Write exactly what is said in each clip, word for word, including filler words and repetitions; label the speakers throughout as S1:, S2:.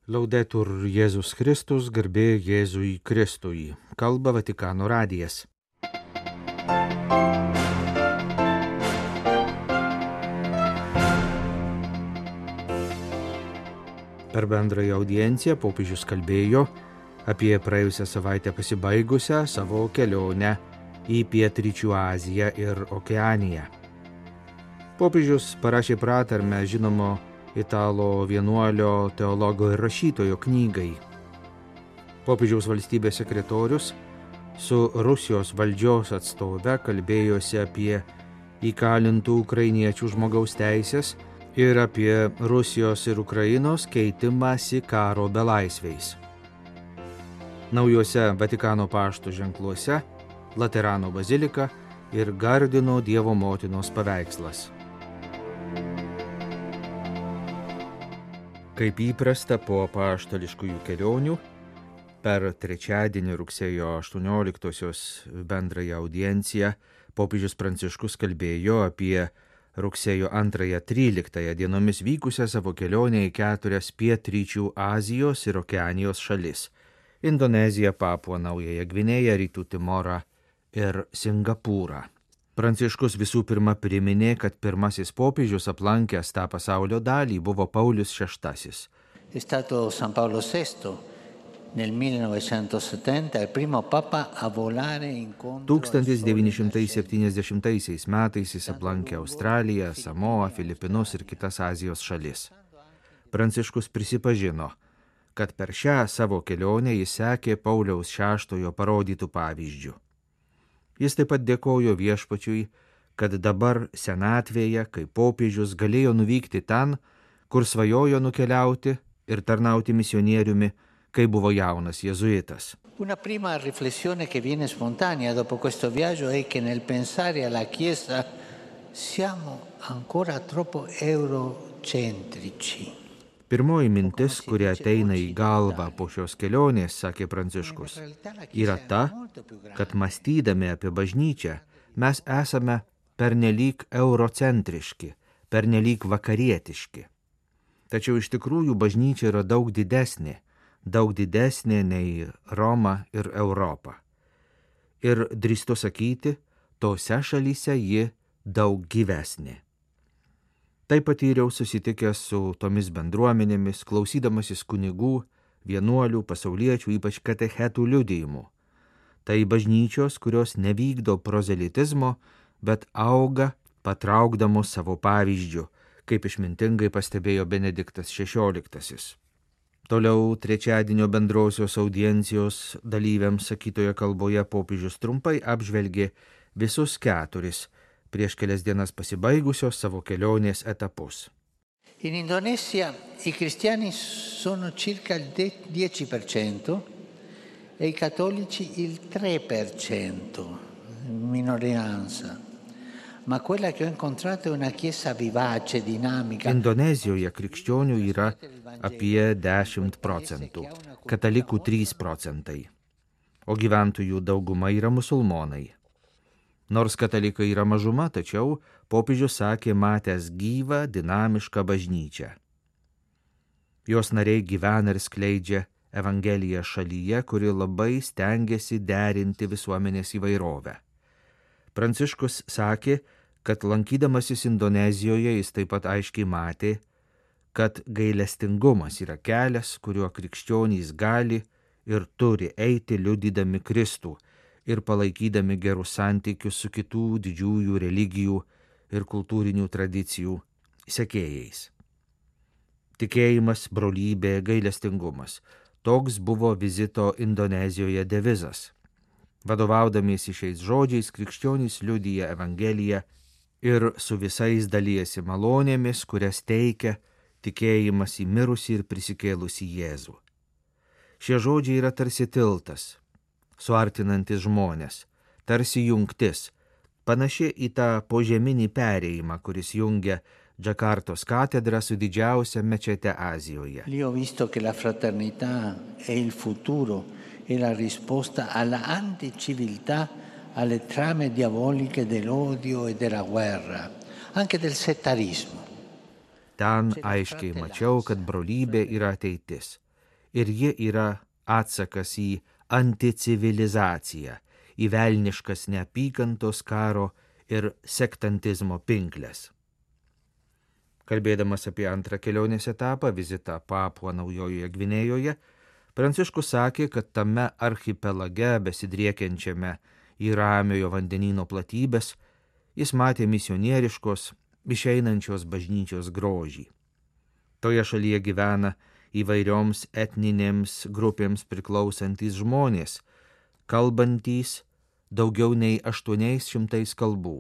S1: Laudetur Jėzus Kristus, garbė Jėzui Kristui. Kalba Vatikano radijas. Per bendrąją audienciją popiežius kalbėjo apie praėjusią savaitę pasibaigusią savo kelionę į Pietryčių Aziją ir Okeaniją. Popiežius parašė pratarmę žinomo italo vienuolio, teologo ir rašytojo knygai. Popiežiaus valstybės sekretorius su Rusijos valdžios atstove kalbėjosi apie įkalintų ukrainiečių žmogaus teisės ir apie Rusijos ir Ukrainos keitimąsi karo belaisviais. Naujuose Vatikano pašto ženkluose Laterano bazilika ir Gardino Dievo motinos paveikslas. Kaip įprasta po apaštališkųjų kelionių, per trečiadienį rugsėjo aštuonioliktosios bendrąją audienciją popiežius Pranciškus kalbėjo apie rugsėjo antrąją tryliktąją dienomis vykusią savo kelionę į keturias Pietryčių Azijos ir Okeanijos šalis – Indoneziją, Papuą Naująją Gvinėją, Rytų Timorą ir Singapūrą. Pranciškus visų pirma priminė, kad pirmasis popiežius aplankęs tą pasaulio dalį buvo Paulius šeštasis.
S2: È stato San Paolo sesto nel millenovecentosettanta il primo papa a volare incontro.
S1: tūkstantis devyni šimtai septyniasdešimtaisiais metais jis aplankė Australiją, Samoą, Filipinus ir kitas Azijos šalis. Pranciškus prisipažino, kad per šią savo kelionę jis sekė Pauliaus šeštojo parodytų pavyzdžių. Jis taip pat dėkojo viešpačiui, kad dabar senatvėje, kai popiežius galėjo nuvykti ten, kur svajojo nukeliauti ir tarnauti misionieriumi, kai buvo jaunas jėzuitas.
S2: Una prima riflessione che viene spontanea dopo questo viaggio è che nel pensare alla Chiesa siamo ancora troppo eurocentrici.
S1: Pirmoji mintis, kuri ateina į galvą po šios kelionės, sakė Pranciškus, yra ta, kad mąstydami apie bažnyčią mes esame pernelyg eurocentriški, pernelyg vakarietiški. Tačiau iš tikrųjų bažnyčia yra daug didesnė, daug didesnė nei Roma ir Europa. Ir drįstu sakyti, tose šalyse ji daug gyvesnė. Tai patyriau susitikęs su tomis bendruomenėmis, klausydamasis kunigų, vienuolių, pasauliečių, ypač katechetų liudijimų. Tai bažnyčios, kurios nevykdo prozelitizmo, bet auga patraukdamos savo pavyzdžių, kaip išmintingai pastebėjo Benediktas šešioliktasis. Toliau trečiadienio bendrosios audiencijos dalyviams sakytoje kalboje popiežius trumpai apžvelgė visus keturis prieš kelias dienas pasibaigusios savo kelionės etapus.
S2: In Indonesia i cristiani sono circa il dieci per cento e i cattolici il tre per cento, minoranza. Ma quella che ho incontrato è una chiesa vivace, dinamica.
S1: Indonezijoje krikščionių yra apie dešimt procentų, katalikų trys procentai, o gyventojų dauguma yra musulmonai. Nors katalikai yra mažuma, tačiau popiežius sakė matęs gyvą, dinamišką bažnyčią. Jos nariai gyvena ir skleidžia Evangeliją šalyje, kuri labai stengiasi derinti visuomenės įvairovę. Pranciškus sakė, kad lankydamasis Indonezijoje jis taip pat aiškiai matė, kad gailestingumas yra kelias, kuriuo krikščionys gali ir turi eiti liudydami Kristų ir palaikydami gerus santykius su kitų didžiųjų religijų ir kultūrinių tradicijų sekėjais. Tikėjimas, brolybė, gailestingumas. Toks buvo vizito Indonezijoje devizas. Vadovaudamiesi šiais žodžiais, krikščionys liudija Evangeliją ir su visais dalijasi malonėmis, kurias teikia tikėjimas į mirusį ir prisikėlusį Jėzų. Šie žodžiai yra tarsi tiltas, suartinantis žmonės, tarsi jungtis, panaši į tą požeminį perėjimą, kuris jungia Džakartos katedrą su didžiausia mečete Azijoje.
S2: Lì ho visto che la fraternità è il futuro e la risposta alla anticiviltà, alle trame diaboliche dell'odio e della guerra, anche del settarismo.
S1: Ten aiškiai mačiau, kad brolybė yra ateitis. ir ji yra atsakas į anticivilizaciją, į velniškas neapykantos karo ir sektantizmo pinkles. Kalbėdamas apie antrą kelionės etapą, vizitą Papua Naujojoje Gvinėjoje, Pranciškus sakė, kad tame archipelage besidriekiančiame į Ramiojo vandenyno platybės jis matė misionieriškos, išeinančios bažnyčios grožį. Toje šalyje gyvena įvairioms etninėms grupėms priklausantys žmonės, kalbantys daugiau nei aštuoniais šimtais kalbų.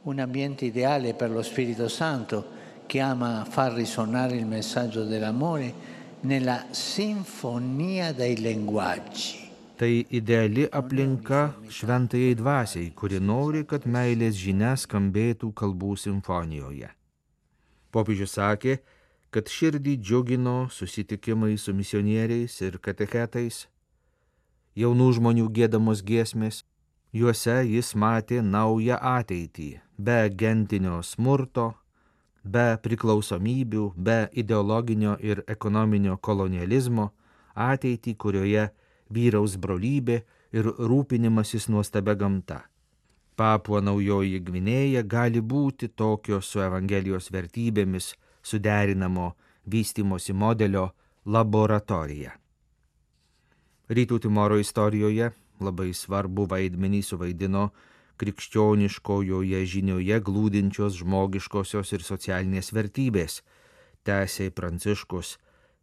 S2: Un ambiente ideale per lo Spirito Santo che ama far risuonare il messaggio dell'amore nella sinfonia dei linguaggi.
S1: Tai ideali aplinka šventajai dvasiai, kuri nori, kad meilės žinia skambėtų kalbų simfonijoje. Popiežius sakė, kad širdį džiugino susitikimai su misionieriais ir katechetais, jaunų žmonių giedamos giesmės, juose jis matė naują ateitį, be gentinio smurto, be priklausomybių, be ideologinio ir ekonominio kolonializmo, ateitį, kurioje vyraus brolybė ir rūpinimasis nuostabia gamta. Papua Naujoji Gvinėja gali būti tokio su Evangelijos vertybėmis suderinamo vystymosi modelio laboratorija. Rytų Timoro istorijoje labai svarbu vaidmenį suvaidino krikščioniškojoje žinioje glūdinčios žmogiškosios ir socialinės vertybės, tęsė Pranciškus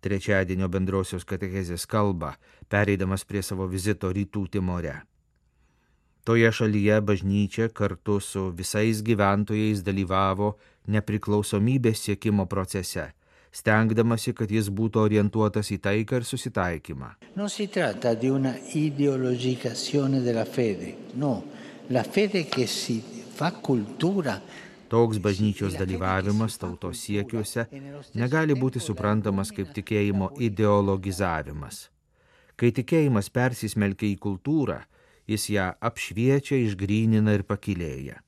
S1: trečiadienio bendrosios katechezės kalbą, pereidamas prie savo vizito Rytų Timore. Toje šalyje bažnyčia kartu su visais gyventojais dalyvavo nepriklausomybės siekimo procese, stengdamasi, kad jis būtų orientuotas į taiką ir susitaikymą.
S2: Non si tratta di una ideologicazione della fede, no, la fede che si fa cultura.
S1: Toks bažnyčios dalyvavimas tautos siekiuose negali būti suprantamas kaip tikėjimo ideologizavimas. Kai tikėjimas persismelkia į kultūrą, jis ją apšviečia, išgrynina ir pakilėja.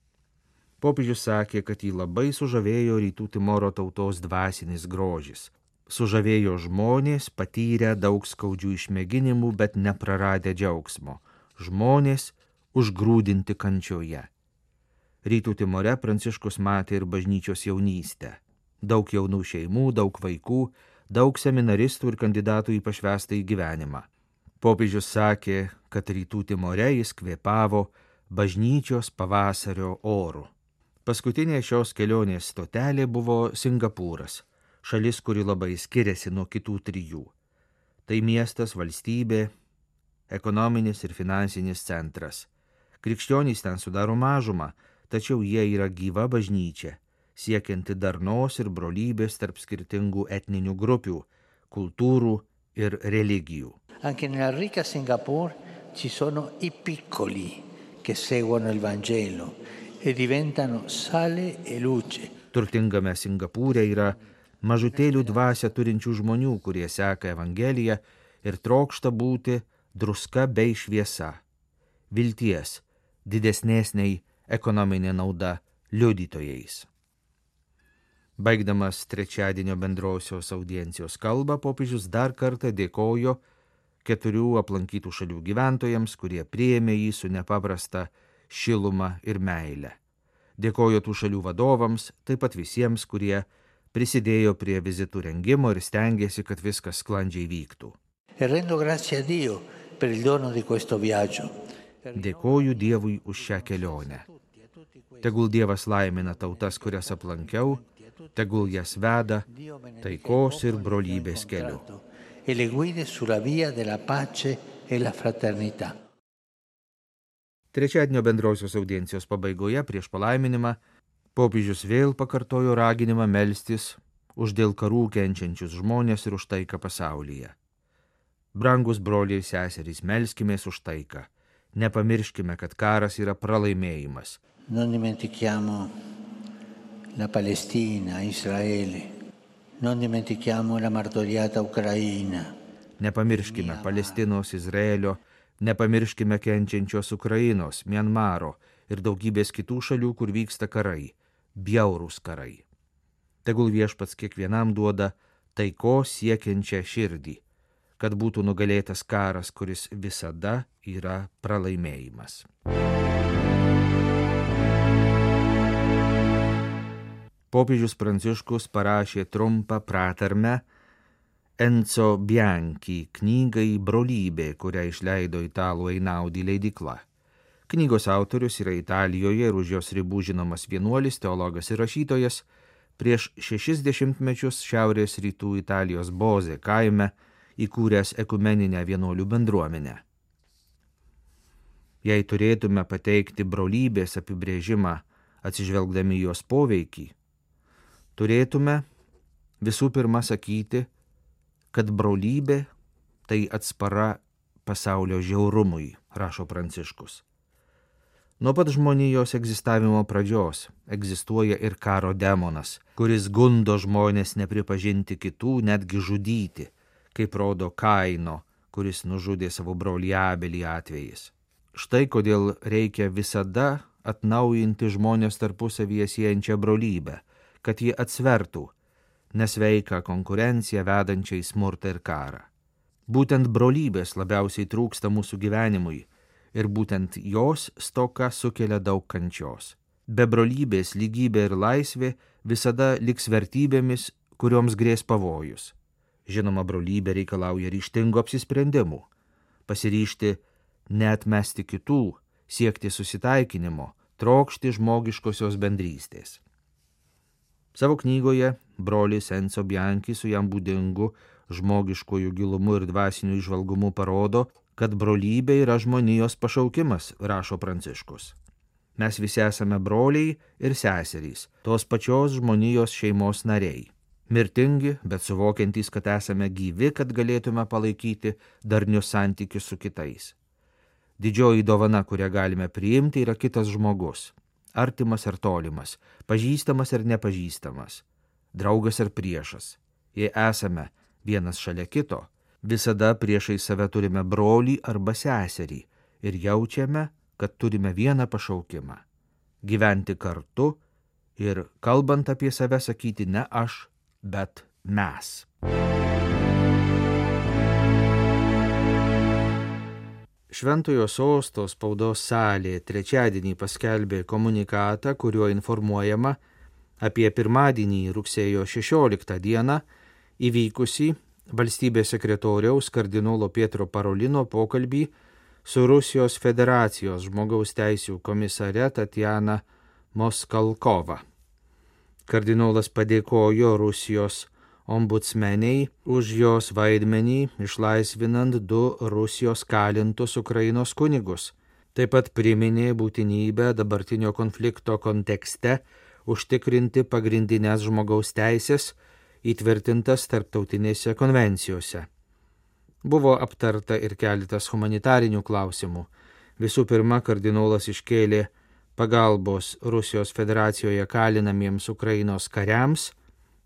S1: Popiežius sakė, kad jį labai sužavėjo Rytų Timoro tautos dvasinis grožis. Sužavėjo žmonės, patyrę daug skaudžių išmėginimų, bet nepraradę džiaugsmo. Žmonės užgrūdinti kančioje. Rytų Timore Pranciškus matė ir bažnyčios jaunystę. Daug jaunų šeimų, daug vaikų, daug seminaristų ir kandidatų į pašvęstąjį gyvenimą. Popiežius sakė, kad Rytų Timore jis kvėpavo bažnyčios pavasario oru. Paskutinė šios kelionės stotelė buvo Singapūras, šalis, kuri labai skiriasi nuo kitų trijų. Tai miestas, valstybė, ekonominis ir finansinis centras. Krikščionys ten sudaro mažumą, tačiau jie yra gyva bažnyčia, siekianti darnos ir brolybės tarp skirtingų etninių grupių, kultūrų ir religijų.
S2: Anche nella ricca Singapore ci sono i piccoli che seguono il Vangelo e diventano sale e luce.
S1: Turtingame Singapūre yra mažutėlių dvasią turinčių žmonių, kurie seka Evangeliją ir trokšta būti druska bei šviesa, vilties, didesnės nei ekonominė nauda liudytojais. Baigdamas trečiadienio bendrosios audiencijos kalbą, popiežius dar kartą dėkojo keturių aplankytų šalių gyventojams, kurie priėmė jį su nepaprasta šiluma ir meile. Dėkojo tų šalių vadovams, taip pat visiems, kurie prisidėjo prie vizitų rengimo ir stengėsi, kad viskas sklandžiai vyktų.
S2: E rendo grazie a Dio per il dono di questo viaggio.
S1: Dėkoju Dievui už šią kelionę. Tegul Dievas laimina tautas, kurias aplankiau, tegul jas veda taikos ir brolybės keliu.
S2: E le guide sulla via della pace e la fraternità.
S1: Trečiadienio bendrosios audiencijos pabaigoje prieš palaiminimą popiežius vėl pakartojo raginimą melstis už dėl karų kenčiančius žmonės ir už taiką pasaulyje. Brangus broliai ir seserys, melskimės už taiką. Nepamirškime, kad karas yra pralaimėjimas.
S2: Non dimentichiamo la Palestina, Israele. Non dimentichiamo la martoriata Ucraina.
S1: Nepamirškime Palestinos, Izraelio, nepamirškime kenčiančios Ukrainos, Mianmaro ir daugybės kitų šalių, kur vyksta karai, bjaurūs karai. Tegul Viešpats kiekvienam duoda taikos siekiančią širdį, kad būtų nugalėtas karas, kuris visada yra pralaimėjimas. Popiežius Pranciškus parašė trumpą pratarmę Enzo Bianchi knygai Brolybė, kurią išleido italų Einaudi leidykla. Knygos autorius yra Italijoje ir už jos ribų žinomas vienuolis, teologas ir rašytojas, prieš šešis dešimtmečius šiaurės rytų Italijos Bozė kaime įkūręs ekumeninę vienuolių bendruomenę. Jei turėtume pateikti brolybės apibrėžimą atsižvelgdami jos poveikį, turėtume visų pirma sakyti, kad brolybė tai atspara pasaulio žiaurumui, rašo Pranciškus. Nuo pat žmonijos egzistavimo pradžios egzistuoja ir karo demonas, kuris gundo žmonės nepripažinti kitų, netgi žudyti, kaip rodo Kaino, kuris nužudė savo brolį Abelį atvejais. Štai kodėl reikia visada atnaujinti žmonės tarpusavyje siejančią brolybę, kad ji atsvertų nesveiką konkurenciją vedančią į smurtą ir karą. Būtent brolybės labiausiai trūksta mūsų gyvenimui ir būtent jos stoka sukelia daug kančios. Be brolybės lygybė ir laisvė visada liks vertybėmis, kurioms grės pavojus. Žinoma, brolybė reikalauja ryžtingų apsisprendimų, pasiryžti neatmesti kitų, siekti susitaikinimo, trokšti žmogiškosios bendrystės. Savo knygoje brolis Enzo Bianchi su jam būdingu žmogiškojų gilumu ir dvasiniu įžvalgumu parodo, kad brolybė yra žmonijos pašaukimas, rašo Pranciškus. Mes visi esame broliai ir seserys, tos pačios žmonijos šeimos nariai. Mirtingi, bet suvokiantys, kad esame gyvi, kad galėtume palaikyti darnius santykius su kitais. Didžioji dovana, kurią galime priimti, yra kitas žmogus. Artimas ar tolimas, pažįstamas ar nepažįstamas, draugas ar priešas. Jei esame vienas šalia kito, visada priešai save turime brolį arba seserį ir jaučiame, kad turime vieną pašaukimą – gyventi kartu ir, kalbant apie save, sakyti ne aš, bet mes. Šventojo Sosto spaudos salė trečiadienį paskelbė komunikatą, kuriuo informuojama apie pirmadienį rugsėjo šešioliktą dieną įvykusį valstybės sekretoriaus kardinolo Pietro Parolino pokalbį su Rusijos Federacijos žmogaus teisių komisare Tatjana Moskalkova. Kardinolas padėkojo Rusijos ombudsmeniai už jos vaidmenį išlaisvinant du Rusijos kalintus Ukrainos kunigus. Taip pat priminė būtinybę dabartinio konflikto kontekste užtikrinti pagrindinės žmogaus teisės įtvirtintas tarptautinėse konvencijose. Buvo aptarta ir keletas humanitarinių klausimų. Visų pirma, kardinolas iškėlė pagalbos Rusijos Federacijoje kalinamiems Ukrainos kariams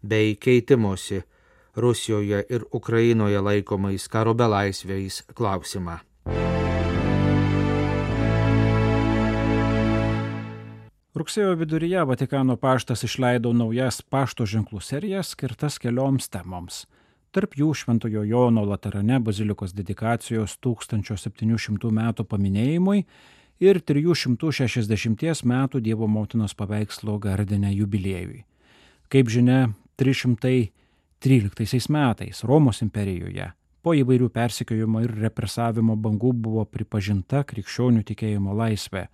S1: bei keitimosi Rusijoje ir Ukrainoje laikomais karo belaisviais klausimą.
S3: Rugsėjo viduryje Vatikano paštas išleido naujas pašto ženklų serijas skirtas kelioms temoms. Tarp jų Šventojo Jono Laterane bazilikos dedikacijos tūkstančio septynių šimtų metų paminėjimui ir trijų šimtų šešiasdešimties metų Dievo motinos paveikslo Gardine jubiliejui. Kaip žinia, trys šimtai tryliktaisiais metais Romos imperijoje po įvairių persekiojimo ir represavimo bangų buvo pripažinta krikščionių tikėjimo laisvė.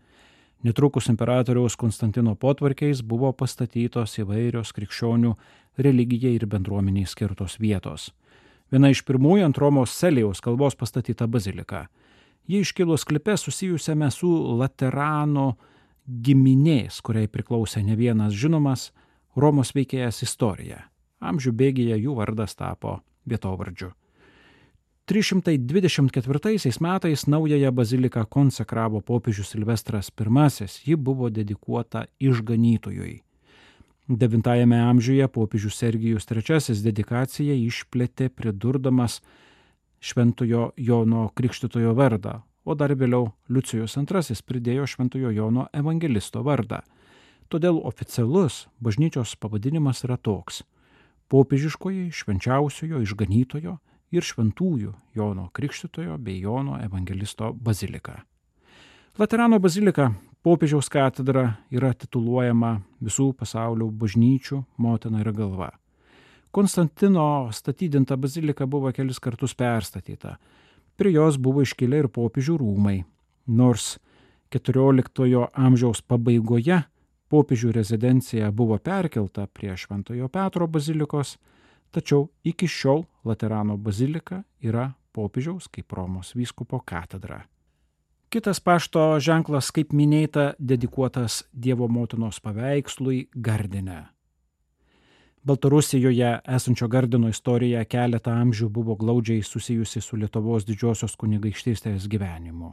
S3: Netrukus imperatoriaus Konstantino potvarkiais buvo pastatytos įvairios krikščionių religijai ir bendruomeniai skirtos vietos. Viena iš pirmųjų ant Romos Celijaus kalvos pastatyta bazilika. Ji iškilo sklype susijusiame su Laterano giminės, kuriai priklausė ne vienas žinomas Romos veikėjas istorija. Amžių bėgyje jų vardas tapo vietovardžiu. trys šimtai dvidešimt ketvirtaisiais metais naująją baziliką konsekravo popiežius Silvestras pirmasis, ji buvo dedikuota išganytojui. devintajame amžiuje popiežius Sergijus trečiasis dedikaciją išplėtė pridurdamas Šventojo Jono Krikštytojo vardą, o dar vėliau Liucijus antrasis pridėjo Šventojo Jono evangelisto vardą. Todėl oficialus bažnyčios pavadinimas yra toks – popiežiškoji švenčiausiojo išganytojo ir šventųjų Jono Krikštytojo bei Jono Evangelisto bazilika. Laterano bazilika, popiežiaus katedra, yra tituluojama visų pasaulio bažnyčių motina ir galva. Konstantino statydinta bazilika buvo kelis kartus perstatyta. Prie jos buvo iškilę ir popiežių rūmai, nors keturioliktojo amžiaus pabaigoje popiežių rezidencija buvo perkelta prie Šventojo Petro bazilikos, tačiau iki šiol Laterano bazilika yra popiežiaus kaip Romos vyskupo katedra. Kitas pašto ženklas, kaip minėta, dedikuotas Dievo motinos paveikslui Gardine. Baltarusijoje esančio Gardino istorija keletą amžių buvo glaudžiai susijusi su Lietuvos didžiosios kunigaikštystės gyvenimu.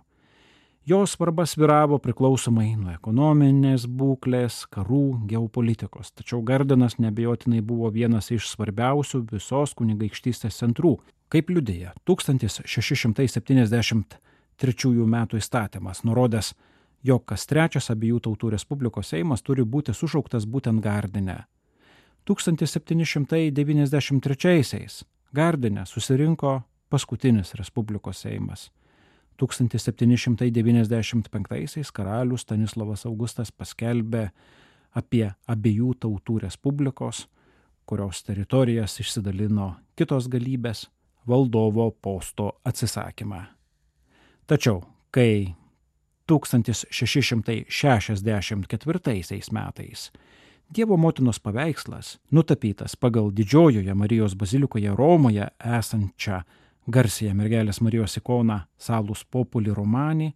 S3: Jos svarba svyravo priklausomai nuo ekonominės būklės, karų, geopolitikos, tačiau Gardinas neabejotinai buvo vienas iš svarbiausių visos kunigaikštystės centrų, kaip liudija tūkstantis šeši šimtai septyniasdešimt trečiųjų metų įstatymas, nurodęs, jog kas trečias abiejų tautų respublikos seimas turi būti sušauktas būtent Gardine. tūkstantis septyni šimtai devyniasdešimt trečiaisiais Gardine susirinko paskutinis respublikos seimas. tūkstantis septyni šimtai devyniasdešimt penktaisiais karalius Stanislovas Augustas paskelbė apie abiejų tautų respublikos, kurios teritorijas išsidalino kitos galybės, valdovo posto atsisakymą. Tačiau, kai tūkstantis šeši šimtai šešiasdešimt ketvirtaisiais metais Dievo motinos paveikslas, nutapytas pagal Didžiojoje Marijos bazilikoje Romoje esančią garsiąją mergelės Marijos ikoną Salus Populi Romani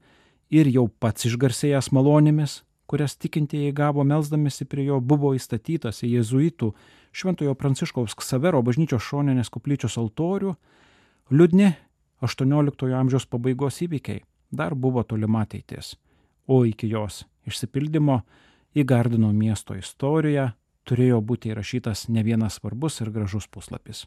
S3: ir jau pats išgarsėjęs malonėmis, kurias tikintieji gavo melsdamisi prie jo, buvo įstatytas į jėzuitų Šventojo Pranciškaus Ksavero bažnyčios šoninės koplyčios altorių, liūdni aštuonioliktojo amžiaus pabaigos įvykiai dar buvo tolima ateitis, o iki jos išsipildymo į Gardino miesto istoriją turėjo būti įrašytas ne vienas svarbus ir gražus puslapis.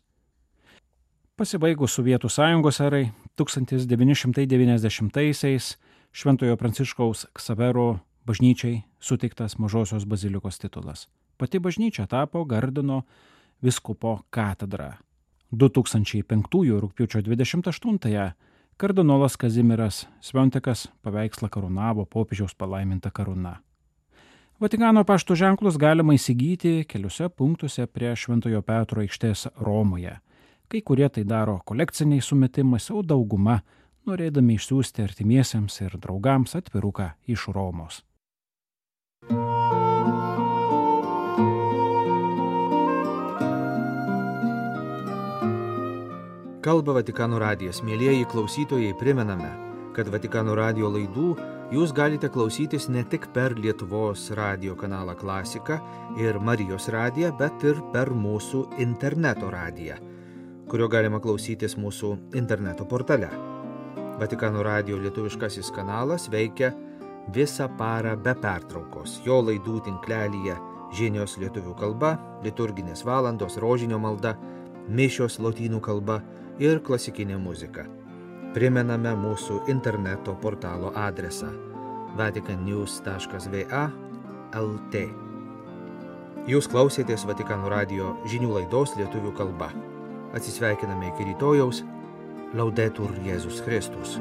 S3: Pasibaigus Sovietų sąjungos erai, tūkstantis devyni šimtai devyniasdešimtaisiais Šventojo Pranciškaus Ksavero bažnyčiai suteiktas Mažosios bazilikos titulas. Pati bažnyčia tapo Gardino vyskupo katedra. du tūkstančiai penktųjų rugpjūčio dvidešimt aštuntąją kardinolas Kazimieras Sviontikas paveikslą karūnavo popiežiaus palaiminta karūna. Vatikano pašto ženklus galima įsigyti keliuose punktuose prie Šventojo Petro aikštės Romoje. Kai kurie tai daro kolekciniais sumetimais, o dauguma norėdami išsiųsti artimiesiems ir draugams atviruką iš Romos.
S1: Kalba Vatikano radijas. Mielieji klausytojai, primename, kad Vatikano radijo laidų jūs galite klausytis ne tik per Lietuvos radijo kanalą Klasika ir Marijos radiją, bet ir per mūsų interneto radiją, kurio galima klausytis mūsų interneto portale. Vatikano radijo lietuviškasis kanalas veikia visą parą be pertraukos. Jo laidų tinklelyje žinios lietuvių kalba, liturginės valandos, rožinio malda, mišios lotynų kalba ir klasikinė muzika. Primename mūsų interneto portalo adresą vatican news taškas v a taškas l t. Jūs klausėtės Vatikano radijo žinių laidos lietuvių kalba. Atsisveikiname iki rytojaus. Laudetur Jėzus Kristus.